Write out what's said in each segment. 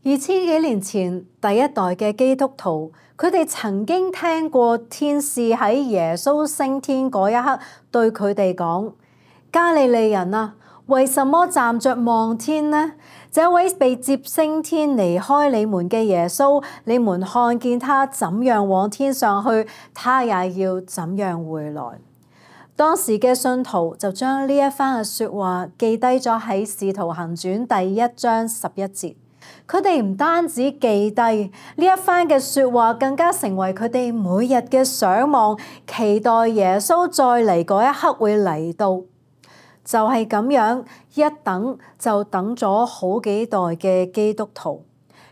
2000幾年前，第一代嘅基督徒，佢哋曾經聽過天使喺耶穌升天嗰一刻對佢哋講：加利利人啊，為什麼站着望天呢？這位被接升天離開你們嘅耶穌，你們看見他怎樣往天上去，他也要怎樣回來。當時嘅信徒就將呢一番嘅説話記低咗喺《使徒行傳》第1章11節。佢哋唔單止記低呢一番嘅説話，更加成為佢哋每日嘅想望，期待耶穌再嚟嗰一刻會嚟到。就係咁樣，一等就等咗好幾代嘅基督徒，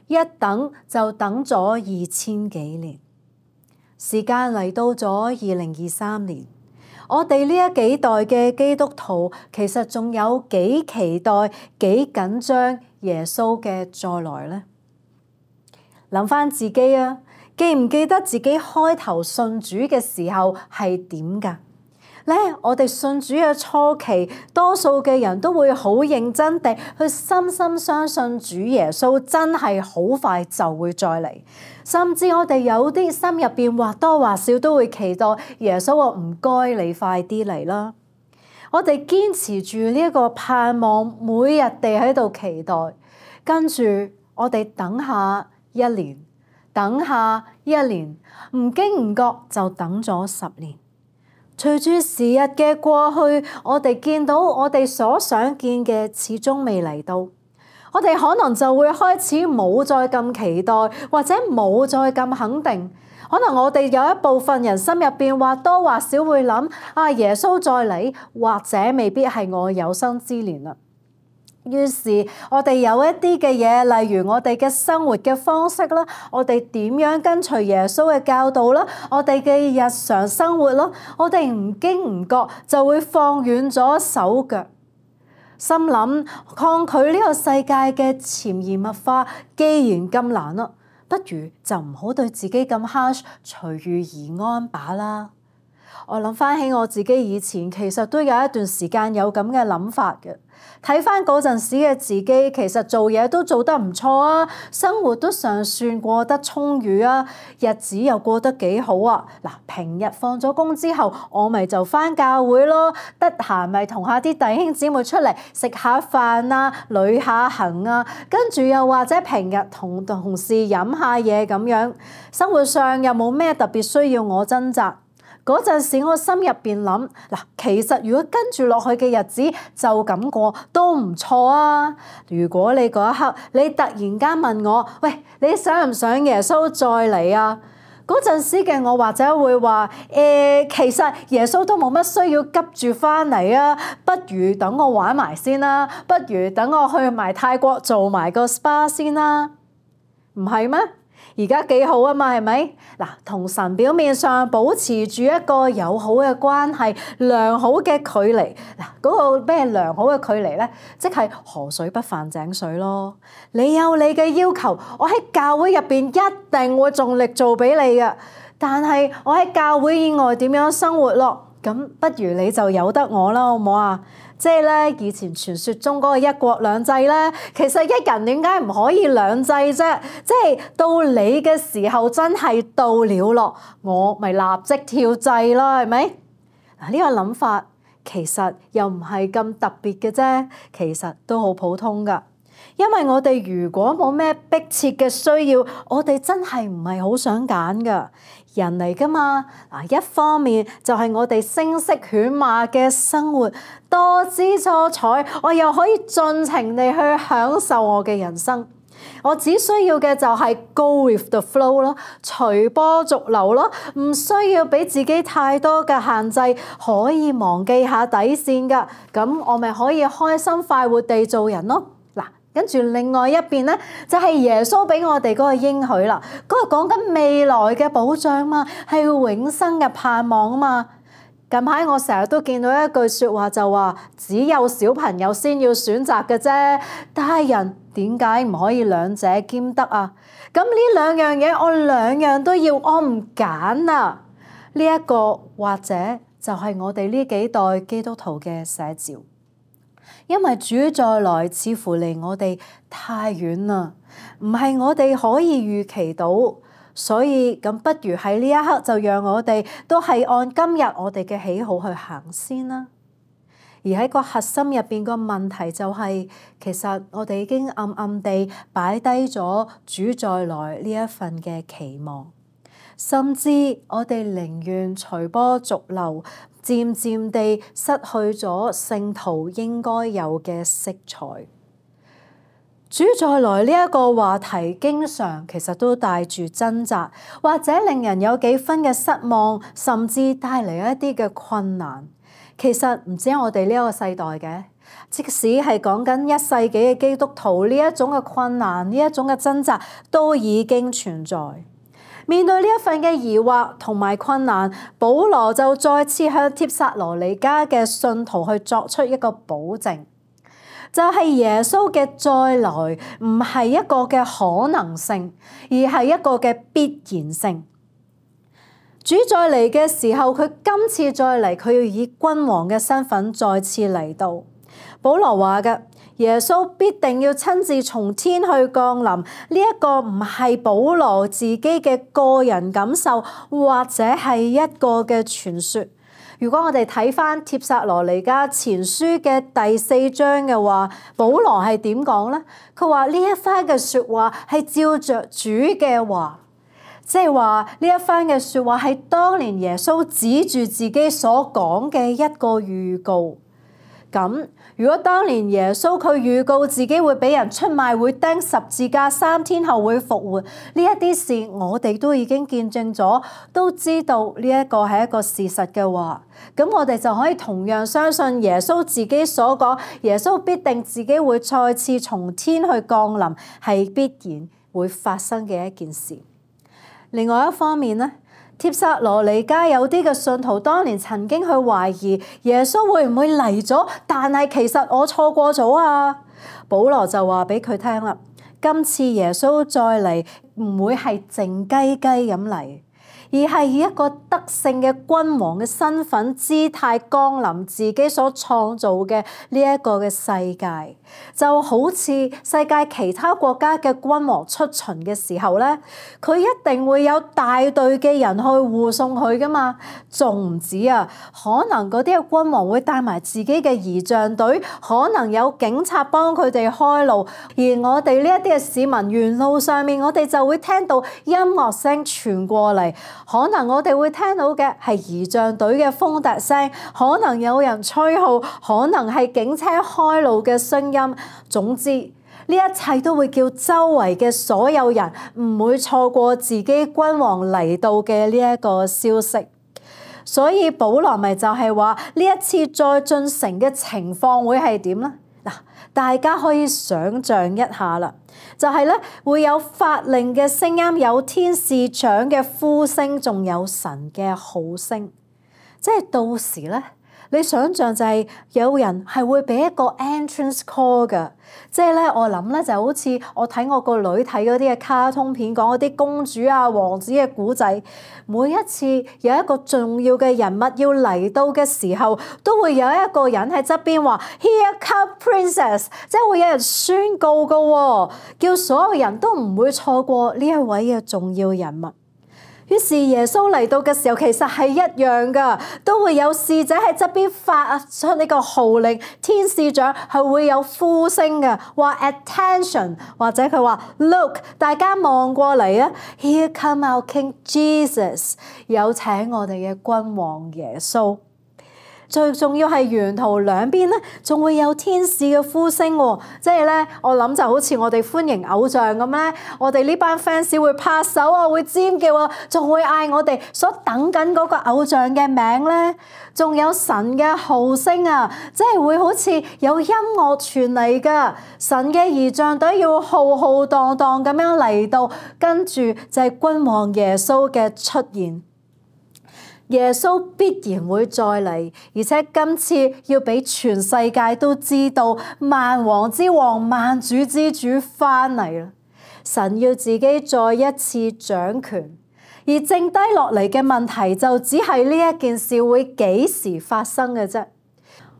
一等就等咗2000幾年。時間嚟到咗2023年，我哋呢一幾代嘅基督徒，其實仲有幾期待、幾緊張耶穌嘅再來呢？諗翻自己啊，記唔記得自己開頭信主嘅時候係點㗎？我哋信主嘅初期，多數嘅人都會好認真地去深深相信主耶穌真係好快就會再嚟，甚至我哋有啲心入邊或多或少都會期待耶穌話唔該你快啲嚟啦。我哋堅持住呢一個盼望，每日地喺度期待，跟住我哋等下1年，等下1年，唔經唔覺就等咗10年。隨住時日嘅過去，我哋見到我哋所想見嘅始終未嚟到，我哋可能就會開始冇再咁期待，或者冇再咁肯定。可能我哋有一部分人心入邊或多或少會諗：耶穌再嚟，或者未必係我有生之年啦。於是我哋有一啲嘅嘢，例如我哋嘅生活嘅方式啦，我哋點樣跟隨耶穌嘅教導啦，我哋嘅日常生活啦，我哋唔經唔覺就會放遠咗手腳，心諗抗拒呢個世界嘅潛移默化，既然咁難啦，不如就唔好對自己咁 harsh， 隨遇而安把啦。我諗翻起我自己以前，其實都有一段時間有咁嘅諗法嘅。睇翻嗰陣時嘅自己，其實做嘢都做得唔錯啊，生活都尚算過得充裕啊，日子又過得幾好啊。平日放咗工之後，我咪就翻教會咯，得閒咪同下啲弟兄姊妹出嚟食下飯啊，旅下行啊，跟住又或者平日同同事飲下嘢咁樣，生活上又冇咩特別需要我掙扎。嗰陣時我心入邊諗，其實如果跟住落去嘅日子就咁過都唔錯啊。如果你嗰一刻你突然間問我，喂，你想唔想耶穌再嚟啊？嗰陣時嘅我或者會話，其實耶穌都冇乜需要急住翻嚟啊，不如等我玩埋先啦，不如等我去埋泰國做埋個 SPA 先啦，唔係咩？而家幾好啊嘛，係咪？同神表面上保持住一個友好嘅關係，良好嘅距離。嗰個咩良好嘅距離呢？即係河水不犯井水咯。你有你嘅要求，我喺教會入邊一定會盡力做俾你嘅。但係我喺教會以外點樣生活咯？咁不如你就由得我啦，好唔好啊？即係咧，以前傳說中嗰個一國兩制咧，其實一人點解唔可以兩制啫？即係到你嘅時候真係到了咯，我咪立即跳制咯，係咪？呢個諗法其實又唔係咁特別嘅啫，其實都好普通噶。因為我哋如果冇咩迫切嘅需要，我哋真係唔係好想揀噶。人嚟噶嘛，一方面就係我哋聲色犬馬嘅生活，多姿多彩，我又可以盡情地去享受我嘅人生。我只需要嘅就係 go with the flow 咯，隨波逐流咯，唔需要俾自己太多嘅限制，可以忘記下底線噶。咁我咪可以開心快活地做人咯。跟住另外一邊咧，就係耶穌俾我哋嗰個應許啦。嗰個講緊未來嘅保障嘛，係永生嘅盼望啊嘛。近排我成日都見到一句説話，就話只有小朋友先要選擇嘅啫，大人點解唔可以兩者兼得啊？咁呢兩樣嘢我兩樣都要，我唔揀啊。呢一個或者就係我哋呢幾代基督徒嘅寫照。因為主再來似乎離我哋太遠啦，唔係我哋可以預期到，所以咁不如喺呢一刻就讓我哋都係按今日我哋嘅喜好去行先啦。而喺個核心入邊個問題就係，其實我哋已經暗暗地擺低咗主再來呢一份嘅期望，甚至我哋寧願隨波逐流，漸漸地失去咗聖徒應該有嘅色彩。主再來呢一個話題，經常其實都帶住掙扎，或者令人有幾分嘅失望，甚至帶嚟一啲嘅困難。其實唔止係我哋呢一個世代嘅，即使係講緊1世紀嘅基督徒，呢一種嘅困難，呢一種嘅掙扎都已經存在。面對呢一份嘅疑惑同埋困難，保羅就再次向帖撒羅尼迦嘅信徒去作出一個保證，就係耶穌嘅再來唔係一個嘅可能性，而係一個嘅必然性。主再嚟嘅時候，佢今次再嚟，佢要以君王嘅身份再次嚟到。保羅話嘅，耶穌必定要親自從天去降臨，呢一個唔係保羅自己嘅個人感受，或者係一個嘅傳說。如果我哋睇返帖撒羅尼迦前書嘅第4章嘅話，保羅係點講呢？佢話呢一番嘅說話係照着主嘅話。即係話呢一番嘅說話係當年耶穌指住自己所講嘅一個預告。咁如果當年耶穌佢預告自己會俾人出賣，會釘十字架，3天後會復活，呢一啲事我哋都已經見證咗，都知道呢一個係一個事實嘅話，咁我哋就可以同樣相信耶穌自己所講，耶穌必定自己會再次從天去降臨，係必然會發生嘅一件事。另外一方面呢，帖撒羅尼迦有啲嘅信徒當年曾經去懷疑耶穌會唔會嚟咗，但係其實我錯過咗啊。保羅就話俾佢聽啦，今次耶穌再嚟唔會係靜雞雞咁嚟，而係以一個得勝嘅君王嘅身份姿態降臨自己所創造嘅呢一個嘅世界，就好似世界其他國家嘅君王出巡嘅時候咧，佢一定會有大隊嘅人去護送佢噶嘛，仲唔止啊，可能嗰啲嘅君王會帶埋自己嘅儀仗隊，可能有警察幫佢哋開路，而我哋呢一啲嘅市民沿路上面，我哋就會聽到音樂聲傳過嚟。可能我哋會聽到嘅係儀仗隊嘅風笛聲，可能有人吹號，可能係警車開路嘅聲音。總之，呢一切都會叫周圍嘅所有人唔會錯過自己君王嚟到嘅呢一個消息。所以保羅咪就係話呢一次再進城嘅情況會係點呢？嗱，大家可以想像一下啦，就係咧會有法令嘅聲音，有天使長嘅呼聲，仲有神嘅號聲。即係到時咧，你想像就係有人係會俾一個 entrance call 㗎。即係咧，我諗咧就好似我睇我個女睇嗰啲嘅卡通片，講嗰啲公主啊、王子嘅古仔，每一次有一個重要嘅人物要嚟到嘅時候，都會有一個人喺側邊話 Here come princess， 即係會有人宣告㗎喎，叫所有人都唔會錯過呢一位嘅重要人物。於是耶穌嚟到嘅時候，其實係一樣噶，都會有使者喺側邊發出呢個號令，天使長係會有呼聲嘅，話 attention， 或者佢話 look， 大家望過嚟啊 ，Here come our King Jesus， 有請我哋嘅君王耶穌。最重要係沿途兩邊咧，仲會有天使嘅呼聲喎，即係咧，我諗就好似我哋歡迎偶像咁咧，我哋呢班 fans 會拍手啊，會尖叫啊，仲會嗌我哋所等緊嗰個偶像嘅名咧，仲有神嘅號聲啊，即係會好似有音樂傳嚟噶，神嘅儀仗隊要浩浩蕩蕩咁樣嚟到，跟住就係君王耶穌嘅出現。耶穌必然會再嚟，而且今次要俾全世界都知道萬王之王、萬主之主翻嚟啦。神要自己再一次掌權，而剩低落嚟嘅問題就只係呢一件事會幾時發生嘅啫。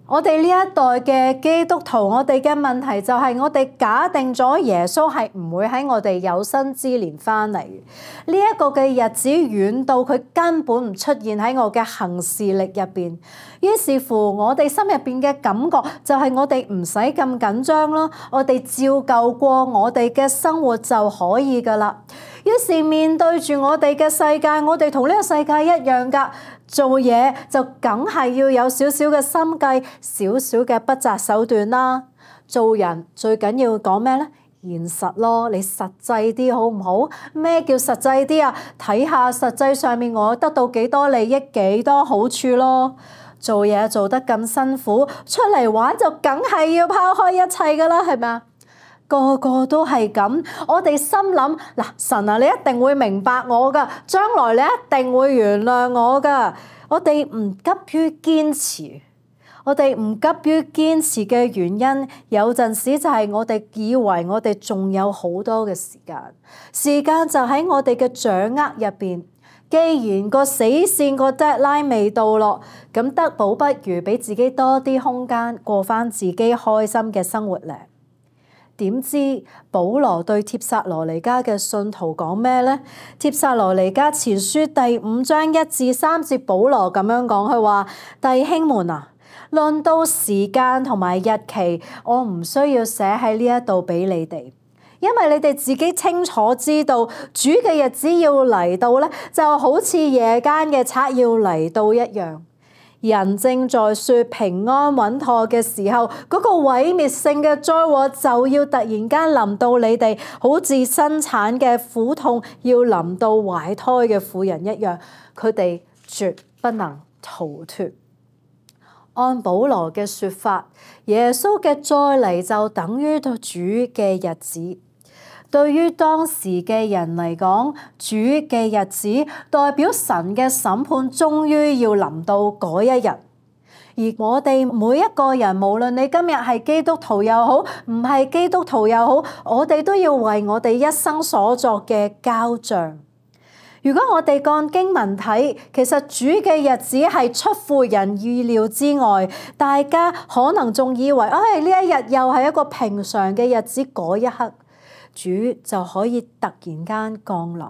我哋呢一代嘅基督徒，我哋嘅問題就係我哋假定咗耶穌係唔會喺我哋有生之年翻嚟。呢一個嘅日子遠到佢根本唔出現喺我嘅行事曆入邊。於是乎，我哋心入邊嘅感覺就係我哋唔使咁緊張咯，我哋照舊過我哋嘅生活就可以噶啦。於是面對住我哋嘅世界，我哋同呢個世界一樣噶。做嘢就梗係要有少少嘅心計，少少嘅不擇手段啦。做人最緊要講咩咧？現實咯，你實際啲好唔好？咩叫實際啲啊？睇下實際上面我得到幾多利益，幾多好處咯。做嘢做得咁辛苦，出嚟玩就梗係要拋開一切噶啦，係咪啊？個個都係咁，我哋心諗嗱，神啊，你一定會明白我噶，將來你一定會原諒我噶。我哋唔急於堅持，我哋唔急於堅持嘅原因，有陣時就係我哋以為我哋仲有好多嘅時間，時間就喺我哋嘅掌握入邊。既然個死線個 deadline 未到咯，咁得保不如俾自己多啲空間，過返自己開心嘅生活咧。點知保羅對帖撒羅尼迦嘅信徒講咩呢？帖撒羅尼迦前書第5章1至3節，保羅咁樣講，佢話：弟兄們啊，論到時間同埋日期，我唔需要寫喺呢一度俾你哋，因為你哋自己清楚知道，主嘅日子要嚟到咧，就好似夜間嘅賊要嚟到一樣。人正在說平安穩妥嘅時候，嗰個毀滅性嘅災禍就要突然間臨到你哋，好似生產嘅苦痛要臨到懷胎嘅婦人一樣，佢哋絕不能逃脫。按保羅嘅說法，耶穌嘅再嚟就等於主嘅日子。對於當時嘅人嚟講，主嘅日子代表神嘅審判終於要臨到嗰一日。而我哋每一個人，無論你今日係基督徒又好，唔係基督徒又好，我哋都要為我哋一生所作嘅交賬。如果我哋按經文睇，其實主嘅日子係出乎人意料之外，大家可能仲以為，呢一日又係一個平常嘅日子，嗰一刻，主就可以突然間降臨，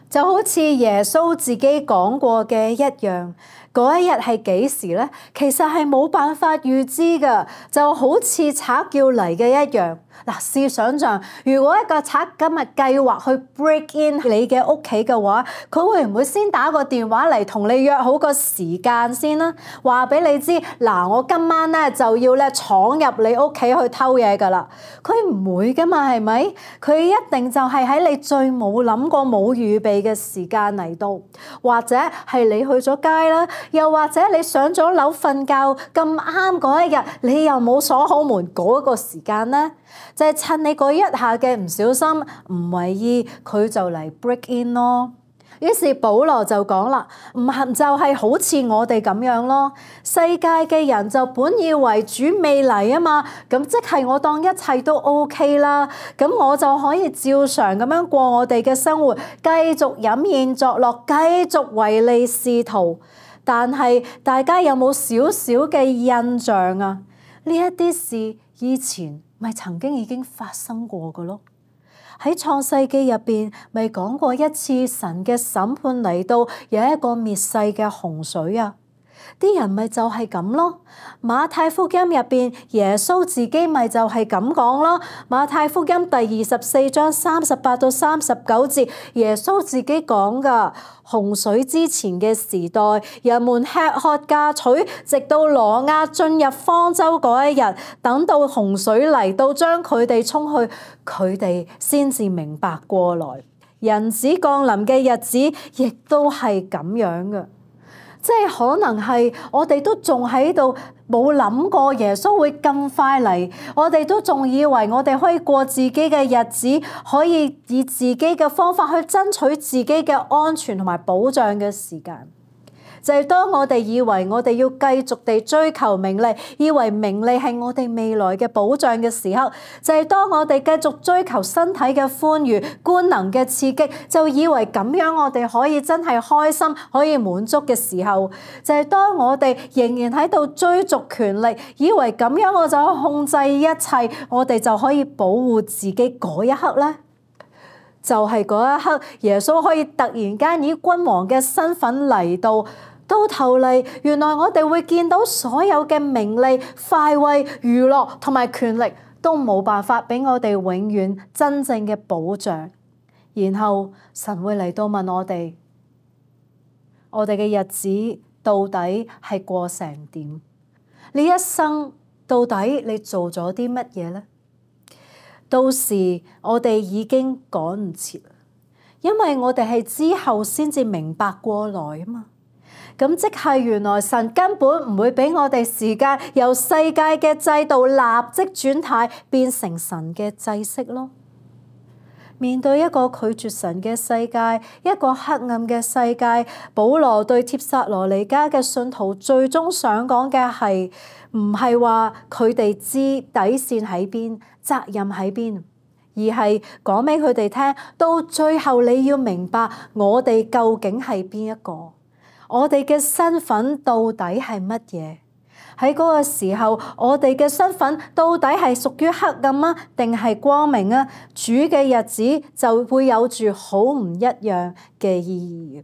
就好似耶穌自己講過嘅一樣。嗰一日係幾時咧？其實係冇辦法預知㗎，就好似賊要嚟嘅一樣。嗱，試想像，如果一個賊今日計劃去 break in 你嘅屋企嘅話，佢會唔會先打個電話嚟同你約好個時間先啦？話俾你知，嗱，我今晚咧就要咧闖入你屋企去偷嘢㗎啦。佢唔會㗎嘛，係咪？佢一定就係喺你最冇諗過、冇預備嘅時間嚟到，或者係你去咗街啦，又或者你上咗樓瞓覺咁啱嗰一日，你又冇鎖好門嗰個時間咧。就係趁你嗰一下嘅唔小心唔為意，佢就嚟 break in 咯。於是保羅就講啦，唔係就係好似我哋咁樣咯。世界嘅人就本以為主未嚟啊嘛，咁即係我當一切都 OK 啦，咁我就可以照常咁樣過我哋嘅生活，繼續飲宴作樂，繼續唯利是圖。但係大家有冇少少嘅印象啊？呢一啲事以前咪曾經已經發生過嘅咯。喺創世記入邊咪講過一次神嘅審判嚟到，有一個滅世嘅洪水啊。啲人咪就係咁咯。馬太福音入邊耶穌自己咪就係咁講咯。馬太福音第24章38到39節，耶穌自己講噶，洪水之前嘅時代，人們吃喝嫁娶，直到挪亞進入方舟嗰一日，等到洪水嚟到將佢哋沖去，佢哋先至明白過來。人子降臨嘅日子亦都係咁樣嘅。即係可能係我哋都仲喺度冇諗過耶穌會咁快嚟，我哋都仲以為我哋可以過自己嘅日子，可以以自己嘅方法去爭取自己嘅安全同埋保障嘅時間。就係當我哋以為我哋要繼續地追求名利，以為名利係我哋未來嘅保障嘅時候，就係當我哋繼續追求身體嘅歡愉、官能嘅刺激，就以為咁樣我哋可以真係開心、可以滿足嘅時候，就係當我哋仍然喺度追逐權力，以為咁樣我就可以控制一切，我哋就可以保護自己嗰一刻咧。就係嗰一刻，耶穌可以突然間以君王嘅身份嚟到頭嚟，原來我哋會見到所有嘅名利、快慰、娛樂同埋權力都冇辦法俾我哋永遠真正嘅保障。然後神會嚟到問我哋嘅日子到底係過成點？你一生到底你做咗啲乜嘢呢？到時我哋已經趕唔切，因為我哋係之後先至明白過來啊嘛。咁即係原來神根本唔會俾我哋時間由世界嘅制度立即轉態變成神嘅制式咯。面對一個拒絕神嘅世界，一個黑暗嘅世界，保羅對帖撒羅尼迦嘅信徒最終想講嘅係唔係話佢哋知底線喺邊、責任喺邊，而係講俾佢哋聽，到最後你要明白我哋究竟係邊一個，我哋嘅身份到底係乜嘢？喺嗰個時候，我哋嘅身份到底係屬於黑暗啊，定係光明啊？主嘅日子就會有住好唔一樣嘅意義。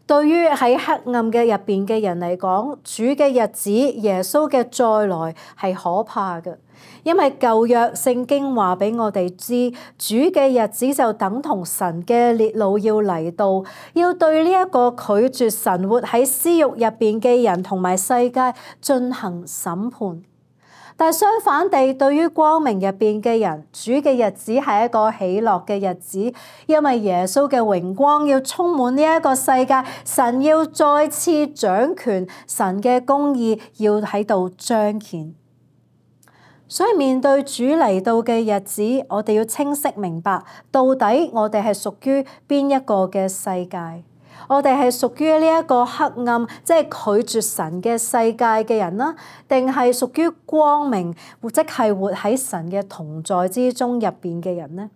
對於喺黑暗嘅入邊嘅人嚟講，主嘅日子、耶穌嘅再來係可怕嘅，因為舊約聖經話俾我哋知，主嘅日子就等同神嘅烈怒要嚟到，要對呢一個拒絕神活喺私慾入邊嘅人同埋世界進行審判。但相反地，對於光明入邊嘅人，主嘅日子係一個喜樂嘅日子，因為耶穌嘅榮光要充滿呢一個世界，神要再次掌權，神嘅公義要喺度彰顯。所以面對主嚟到嘅日子，我哋要清晰明白，到底我哋係屬於邊一個嘅世界？我哋係屬於呢一個黑暗，即係拒絕神嘅世界嘅人啦，定係屬於光明，即係活喺神嘅同在之中入邊嘅人呢？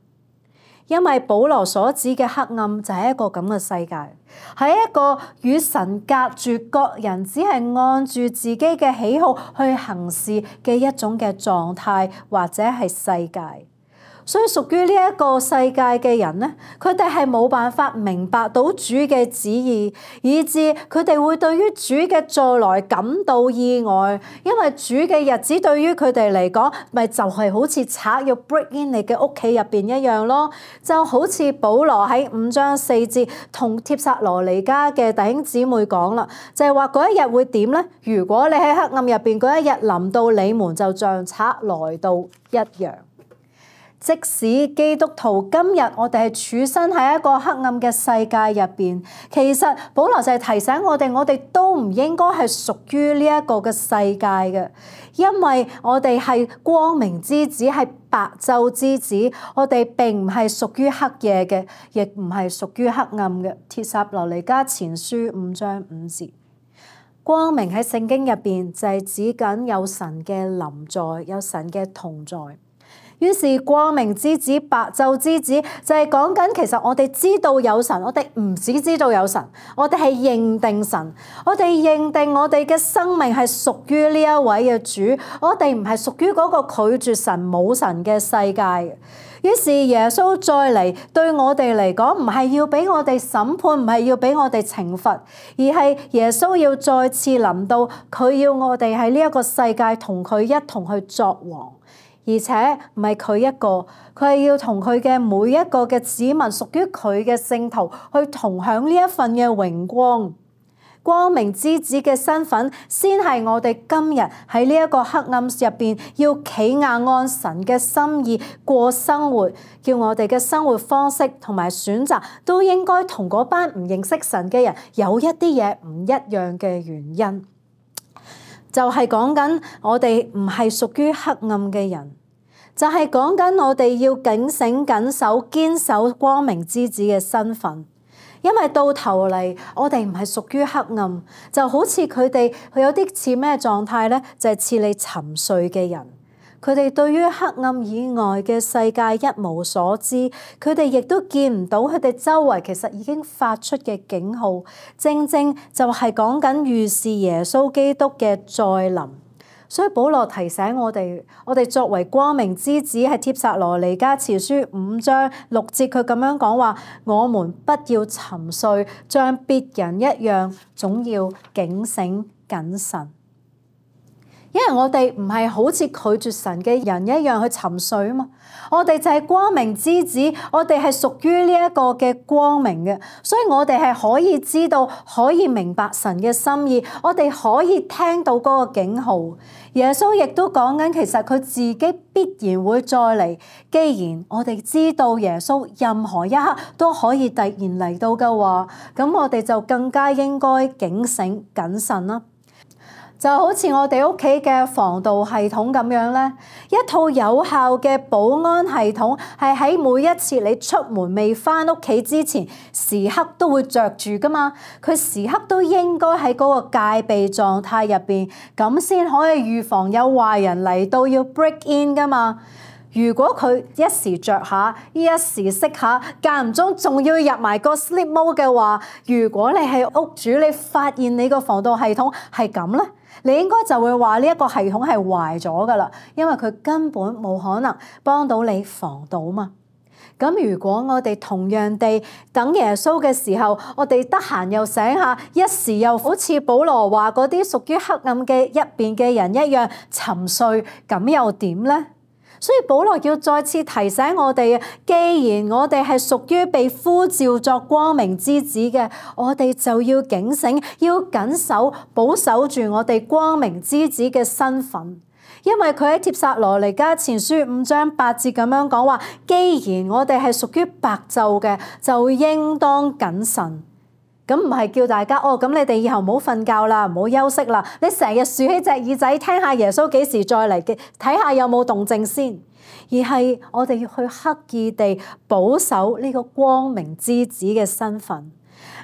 因為保羅所指嘅黑暗就係一個咁嘅世界，係一個與神隔絕，各人只係按住自己嘅喜好去行事嘅一種嘅狀態，或者係世界。所以屬於呢一個世界嘅人呢，佢哋係冇辦法明白到主嘅旨意，以致佢哋會對於主嘅再來感到意外，因為主嘅日子對於佢哋嚟講，咪就係好似賊要 break in 你嘅屋企入邊一樣咯。就好似保羅喺5章4節同帖撒羅尼迦嘅弟兄姊妹講啦，就係話嗰一日會點呢？如果你喺黑暗入邊嗰一日臨到你們，就像賊來到一樣。即使基督徒今日我哋係處身喺一個黑暗嘅世界入邊，其實保羅就係提醒我哋都唔應該係屬於呢一個嘅世界嘅，因為我哋係光明之子，係白晝之子，我哋並唔係屬於黑夜嘅，亦唔係屬於黑暗嘅。帖撒羅尼迦前書5章5節，光明喺聖經入邊就係指緊有神嘅臨在，有神嘅同在。於是光明之子、白晝之子就係講緊，其實我哋知道有神，我哋唔只知道有神，我哋係認定神，我哋認定我哋嘅生命係屬於呢一位嘅主，我哋唔係屬於嗰個拒絕神冇神嘅世界。於是耶穌再嚟對我哋嚟講，唔係要俾我哋審判，唔係要俾我哋懲罰，而係耶穌要再次臨到，佢要我哋喺呢一個世界同佢一同去作王。而且唔係佢一個，佢係要同佢嘅每一個嘅子民，屬於佢嘅聖徒，去同享呢一份嘅榮光。光明之子嘅身份，先係我哋今日喺呢一個黑暗入邊，要企硬按神嘅心意過生活，叫我哋嘅生活方式同埋選擇，都應該同嗰班唔認識神嘅人有一啲嘢唔一樣嘅原因。就係講緊我哋唔係屬於黑暗嘅人，就係講緊我哋要警醒、緊守、堅守光明之子嘅身份，因為到頭嚟我哋唔係屬於黑暗，就好似佢有啲似咩狀態咧？就係似你沉睡嘅人。佢哋對於黑暗以外嘅世界一無所知，佢哋亦都見唔到佢哋周圍其實已經發出嘅警號，正正就係講緊預示耶穌基督嘅再臨。所以保羅提醒我哋作為光明之子，係帖撒羅尼迦前書5章6節，佢咁樣講話：我們不要沉睡，像別人一樣，總要警醒謹慎。因為我哋唔係好似拒絕神嘅人一樣去沉睡啊嘛，我哋就係光明之子，我哋係屬於呢一個嘅光明嘅，所以我哋係可以知道、可以明白神嘅心意，我哋可以聽到嗰個警號。耶穌亦都講緊，其實佢自己必然會再嚟。既然我哋知道耶穌任何一刻都可以突然嚟到嘅話，咁我哋就更加應該警醒謹慎啦。就好似我哋屋企嘅防盜系統咁樣咧，一套有效嘅保安系統係喺每一次你出門未返屋企之前，時刻都會着住噶嘛。佢時刻都應該喺嗰個戒備狀態入邊，咁先可以預防有壞人嚟到要 break in 噶嘛。如果佢一時着下，一時熄下，間唔中仲要入埋個 sleep mode 嘅話，如果你係屋主，你發現你個防盜系統係咁咧，你應該就會話呢一個系統係壞咗噶啦，因為佢根本冇可能幫到你防盜嘛。咁如果我哋同樣地等耶穌嘅時候，我哋得閒又醒下，一時又好似保羅話嗰啲屬於黑暗嘅一邊嘅人一樣沉睡，咁又點咧？所以保羅要再次提醒我哋，既然我哋係屬於被呼召作光明之子嘅，我哋就要警醒，要謹守保守住我哋光明之子嘅身份。因為佢喺帖撒羅尼迦前書5章8節咁樣講話，既然我哋係屬於白晝嘅，就應當謹慎。咁唔係叫大家咁你哋以後唔好瞓覺啦，唔好休息啦，你成日豎起隻耳仔聽下耶穌幾時再嚟嘅，睇下有冇動靜先。而係我哋要去刻意地保守呢個光明之子嘅身份，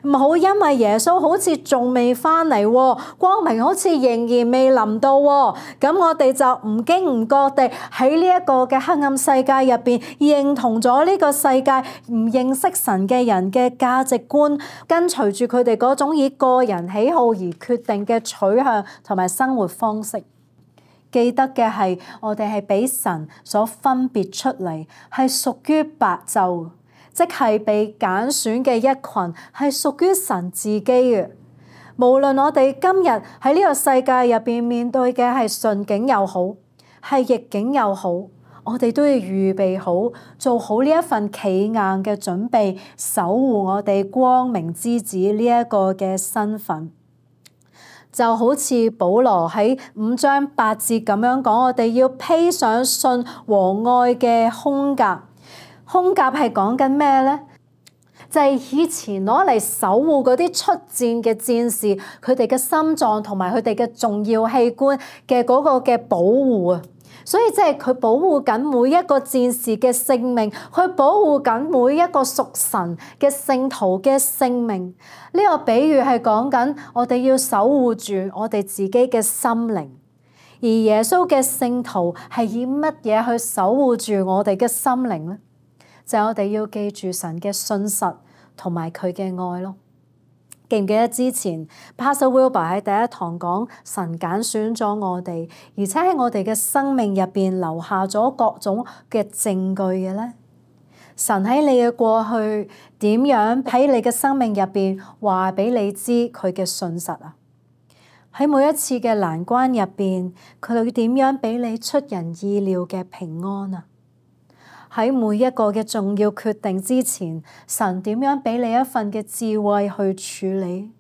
唔好因為耶穌好似仲未返嚟，光明好似仍然未臨到，咁我哋就唔經唔覺地喺呢一個嘅黑暗世界入邊認同咗呢個世界唔認識神嘅人嘅價值觀，跟隨住佢哋嗰種以個人喜好而決定嘅取向同埋生活方式。記得嘅係，我哋係俾神所分別出嚟，係屬於白晝，即係被揀選嘅一群，係屬於神自己嘅。無論我哋今日喺呢個世界入邊面對嘅係順境又好，係逆境又好，我哋都要預備好，做好呢一份企硬嘅準備，守護我哋光明之子呢一個嘅身份。就好似保羅喺5章8節咁樣講，我哋要披上信和愛嘅胸甲。胸甲係講緊咩咧？就係以前攞嚟守護嗰啲出戰嘅戰士，佢哋嘅心臟同埋佢哋嘅重要器官嘅嗰個嘅保護啊。所以即係佢保護緊每一個戰士嘅性命，佢保護緊每一個屬神嘅聖徒嘅性命。呢個比喻係講緊我哋要守護住我哋自己嘅心靈，而耶穌嘅聖徒係以乜嘢去守護住我哋嘅心靈咧？就係我哋要記住神嘅信實同埋佢嘅愛咯。記唔記得之前 Pastor Wilbur 喺第一堂講神揀選咗我哋，而且喺我哋嘅生命入邊留下咗各種嘅證據嘅咧？神喺你嘅過去點樣喺你嘅生命入邊話俾你知佢嘅信實啊？喺每一次嘅難關入邊，佢會點樣俾你出人意料嘅平安啊？喺每一個嘅重要決定之前，神點樣俾你一份嘅智慧去處理？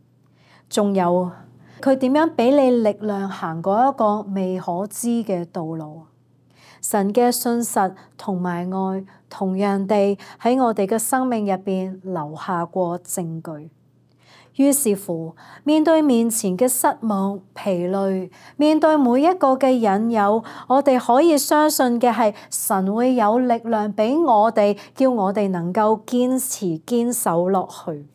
仲有佢點樣俾你力量行過一個未可知嘅道路？神嘅信實同埋愛，同樣地喺我哋嘅生命入邊留下過證據。於是乎，面對面前嘅失望、疲累，面對每一個嘅引誘，我哋可以相信嘅係神會有力量俾我哋，叫我哋能夠堅持堅守落去。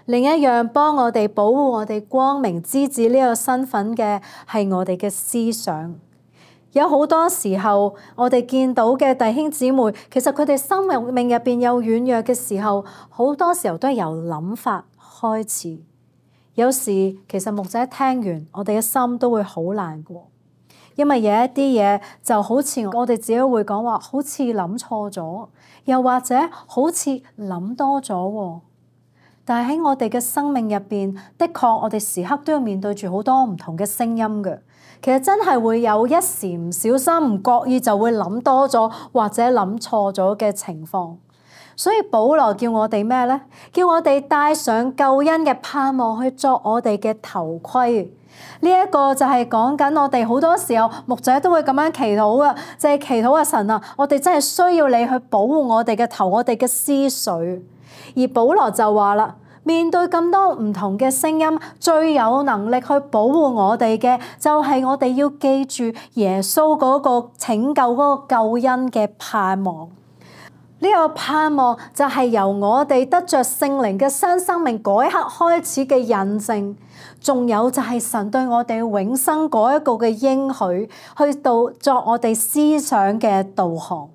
另一樣幫我哋保護我哋光明之子呢個身份嘅係我哋嘅思想。有好多時候，我哋見到嘅弟兄姊妹，其實佢哋生命入邊有軟弱嘅時候，好多時候都係由諗法開始。有時其實牧者聽完，我哋嘅心都會好難過，因為有一啲嘢就好似我哋自己會講話，好似諗錯咗，又或者好似諗多咗喎。但係喺我哋嘅生命入邊，的確我哋時刻都要面對住好多唔同嘅聲音嘅。其實真係會有一時唔小心、唔覺意就會諗多咗或者諗錯咗嘅情況。所以保羅叫我哋咩呢？叫我哋帶上救恩嘅盼望去作我哋嘅頭盔。呢一個就係講緊我哋好多時候牧者都會咁樣祈禱嘅，就係祈禱啊神啊，我哋真係需要你去保護我哋嘅頭，我哋嘅思緒。而保羅就話啦，面對咁多唔同嘅聲音，最有能力去保護我哋嘅，就係我哋要記住耶穌嗰個拯救嗰個救恩嘅盼望。呢個盼望就係由我哋得着聖靈嘅新生命嗰一刻開始嘅印證，仲有就係神對我哋永生嗰一個嘅應許，去到作我哋思想嘅導航。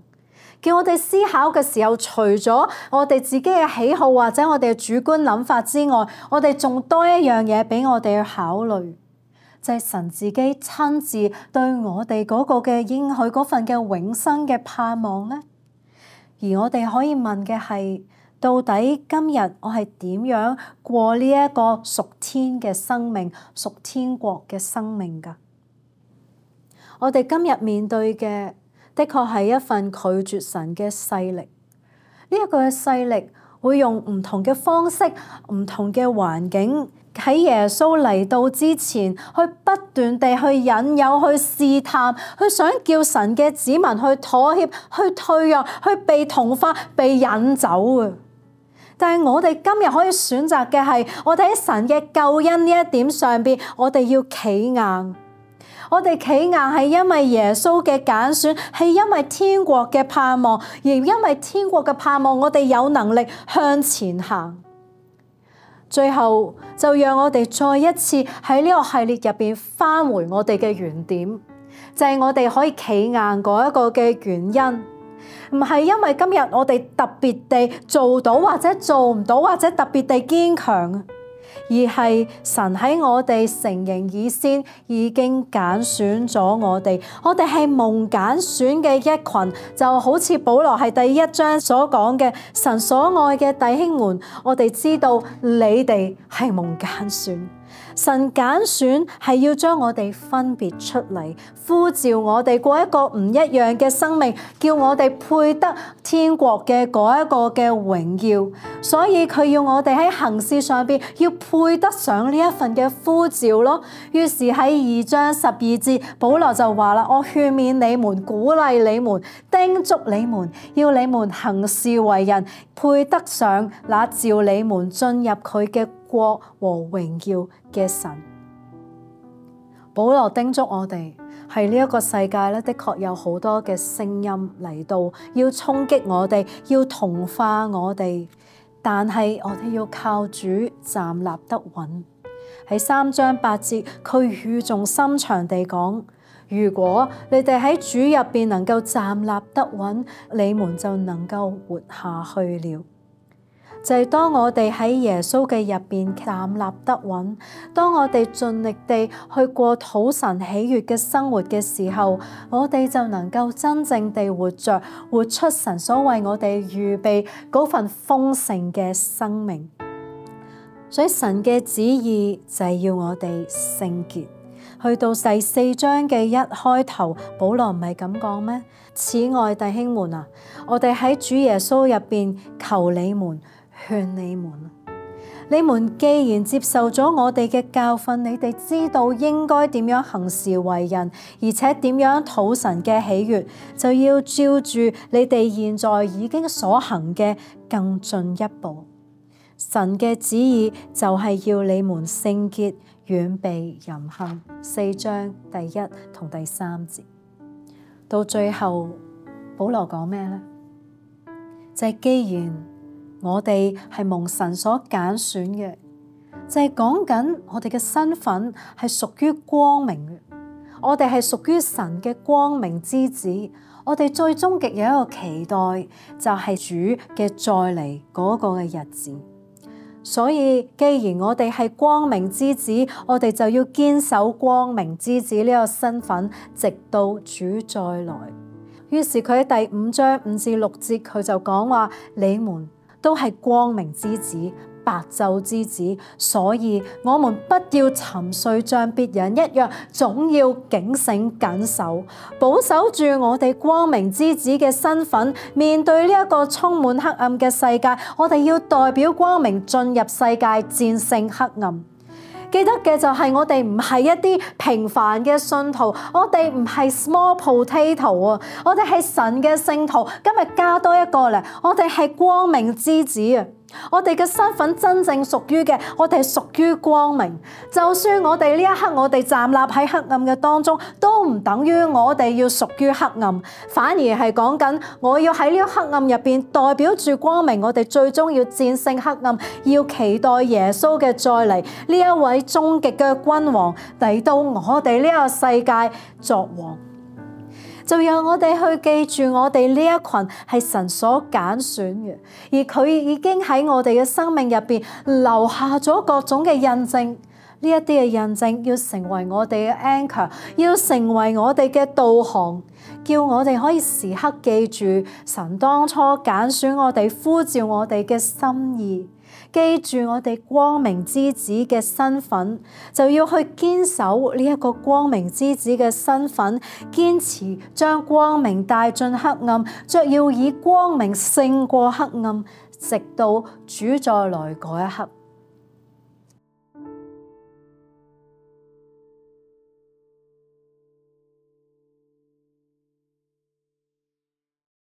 叫我哋思考嘅時候，除咗我哋自己嘅喜好或者我哋嘅主觀諗法之外，我哋仲多一樣嘢俾我哋去考慮，就係神自己親自對我哋嗰個嘅應許嗰份嘅永生嘅盼望咧。而我哋可以問嘅係，到底今日我係點樣過呢一個屬天嘅生命、屬天國嘅生命㗎？我哋今日面對嘅，的確係一份拒絕神嘅勢力。呢一個勢力會用唔同嘅方式、唔同嘅環境，喺耶穌嚟到之前，去不斷地去引誘、去試探、去想叫神嘅子民去妥協、去退讓、去被同化、被引走啊！但係我哋今日可以選擇嘅係，我哋喺神嘅救恩呢一點上邊，我哋要企硬。我哋企硬係因為耶穌嘅揀選，係因為天國嘅盼望，而因為天國嘅盼望，我哋有能力向前行。最後就讓我哋再一次喺呢個系列入邊返回我哋嘅原點，就係我哋可以企硬嗰一個嘅原因，唔係因為今日我哋特別地做到或者做唔到或者特別地堅強，而係神喺我哋成形以先已經揀選咗我哋係蒙揀選嘅一群，就好似保羅係第一章所講嘅，神所愛嘅弟兄們，我哋知道你哋係蒙揀選。神揀選係要將我哋分別出嚟，呼召我哋過一個唔一樣嘅生命，叫我哋配得天國嘅嗰一個嘅榮耀。所以佢要我哋喺行事上邊要配得上呢一份嘅呼召咯。於是喺2章12節，保羅就話啦：我勸勉你們，鼓勵你們，叮囑你們，要你們行事為人，配得上那召你們進入佢嘅國和榮耀嘅神。保羅叮囑我哋，係呢一個世界咧，的確有好多嘅聲音嚟到，要衝擊我哋，要同化我哋，但係我哋要靠主站立得穩。喺3章8節，佢語重心長地講：如果你哋喺主入邊能夠站立得穩，你們就能夠活下去了。就係當我哋喺耶穌嘅入邊站立得穩，當我哋盡力地去過討神喜悅嘅生活嘅時候，我哋就能夠真正地活着，活出神所為我哋預備嗰份豐盛嘅生命。所以神嘅旨意就係要我哋聖潔。去到第4章嘅一開頭，保羅唔係咁講咩？此外，弟兄們啊，我哋喺主耶穌入邊求你們、勸你們，你們既然接受咗我哋嘅教訓，你哋知道應該點樣行事為人，而且點樣討神嘅喜悅，就要照住你哋現在已經所行嘅更進一步。神嘅旨意就係要你們聖潔，遠避淫行。4章第1同第3節，到最後保羅講咩呢？就係既然我哋係蒙神所揀選嘅，就係講緊我哋嘅身份係屬於光明嘅。我哋係屬於神嘅光明之子，我哋最終極有一個期待，就係主嘅再嚟嗰個嘅日子。所以既然我哋係光明之子，我哋就要堅守光明之子呢個身份，直到主再來。於是佢喺第5章5至6節，佢就講話：你們都係光明之子，白晝之子，所以我們不要沉睡像別人一樣，總要警醒謹守，保守住我哋光明之子嘅身份。面對呢一個充滿黑暗嘅世界，我哋要代表光明進入世界，戰勝黑暗。記得嘅就係我哋唔係一啲平凡嘅信徒，我哋唔係 small potato 啊，我哋係神嘅聖徒。今日加多一個嚟，我哋係光明之子啊！我哋嘅身份真正屬於嘅，我哋係屬於光明。就算我哋呢一刻我哋站立喺黑暗嘅當中，都唔等於我哋要屬於黑暗，反而係講緊我要喺呢個黑暗入邊代表住光明。我哋最終要戰勝黑暗，要期待耶穌嘅再嚟，呢一位終極嘅君王嚟到我哋呢個世界作王。就讓我哋去記住，我哋呢一群係神所揀選嘅，而佢已經喺我哋嘅生命入邊留下咗各種嘅印證。呢一啲嘅印證要成為我哋嘅 anchor， 要成為我哋嘅導航，叫我哋可以時刻記住神當初揀選我哋、呼召我哋嘅心意。記住我哋光明之子嘅身份，就要去堅守呢一個光明之子嘅身份，堅持將光明帶進黑暗，卻要以光明勝過黑暗，直到主再來嗰一刻。